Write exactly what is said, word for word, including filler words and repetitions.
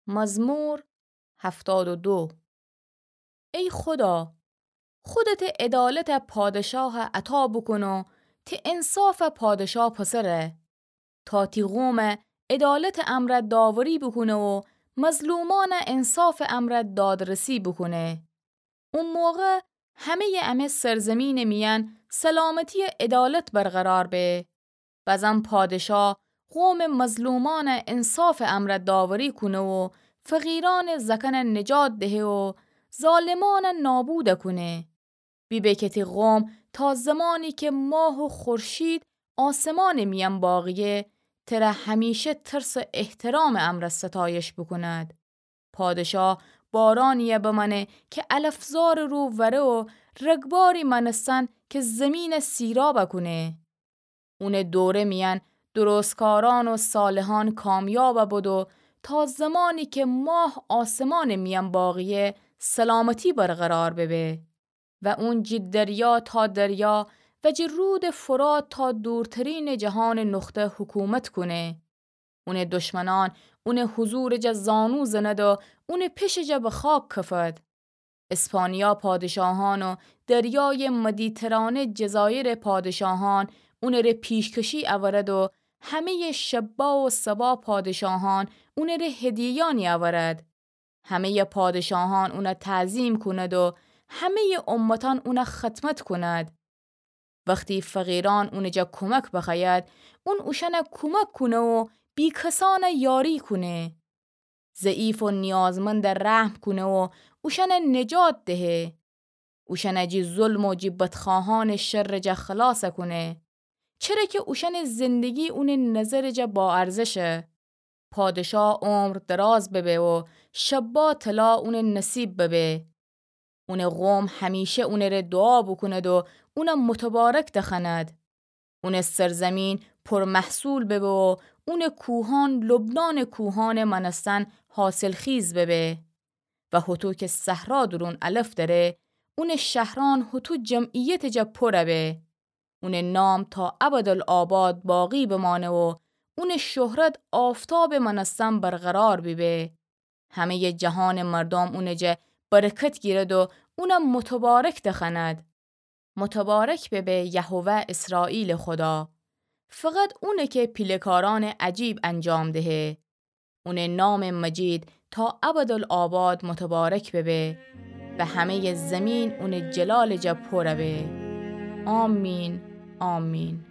مزمور هفتاد و دو. ای خدا، خودتٚ عدالتَ پادشاهَ عطا بوکون و تٚ انصافَ پادشا پسره، تا تی قومَ عدالتٚ امرأ داوری بوکونه و مظلومأنَ انصافٚ امرأ دادرسی بوکونه. او موقع همه‌یٚ امه سرزمینٚ میأن سلامتی و عدالت برقرار به. بزن پادشا قومٚ مظلومأنَ انصافٚ امرأ داوری کونه و فقیرأنٚ زأکأنَ نجات دهه و ظالمأنَ نابود کونه. بیبه که تی قوم تا زمانی که ماه و خورشید آسمانٚ میأن باقیه، تره همیشه ترس و احترامٚ امرأ ستایش بوکوند. پادشا بارانیی بمأنه که علفزارٚ رو وأره و رگباری مأنستن که زیمینَ سیراب کونه. اونٚ دوره میأن درستکارأن و صالحأن کامیاب بدو تا زمانی که ماه آسمانٚ میأن باقیه، سلامتی برقرار ببه. و اون جٚه دریا تا دریا و جٚه رودٚ فرات تا دورترینٚ جهانٚ نقطه حکومت کونه. اونٚ دشمنأن اونٚ حضورٚ جا زانو زند و اونٚ پشٚ جا به خاک کفد. اسپانیا پادشاهأن و دریایٚ مدیترانه جزایرٚ پادشاهأن اونٚ ره پیشکشی اورد و همه‌یٚ شبا و سبا پادشاهأن اونٚ ره هدیه‌یأنی اورد. همه‌یٚ پادشاهأن اونَ تعظیم کوند و همه‌یٚ امتأن اونَ خدمت کوند. وختی فقیرأن اونٚ جا کمک بخوأید، اون اوشأنَ کمک کونه و بی‌کسأنَ یاری کونه. ضعیف و نیازمندَ رحم کونه و اوشأنَ نجات دهه. اوشأنَ جٚه ظلم و جٚه بدخواهأنٚ شرٚ جا خلاص کونه. چره که اوشأنٚ زندگی اونٚ نظرٚ جا باارزشه. پادشا عمر دراز ببه و شبا طلا اونٚ نصیب ببه. اونٚ قوم همیشه اونٚ ره دوعا بوکوند و اونَ متبارک دخوأند. اونٚ سرزمین پرمحصول ببه و اونٚ کوهأن لبنانٚ کوهأنٚ مأنستن حاصلخیز ببه. و هوطو که صحرا دورون علف دأره، اونٚ شهرأن هوطو جمعیتٚ جا پر به. اونٚ نام تا ابدالآباد باقی بمانه و اونٚ شهرت آفتابٚ مأنستن برقرار بیبه. همه‌یٚ جهانٚ مردوم اونٚ جا برکت گیرد و اونَ متبارک دخوأند. متبارک ببه یهوه اسرائیلٚ خدا. فقط اونه که پیله‌کارأنٚ عجیب انجام دهه. اونٚ نامٚ مجید تا ابدالآباد متبارک ببه و همه‌یٚ زیمین اونٚ جلالٚ جا پر به. آمین، آمین.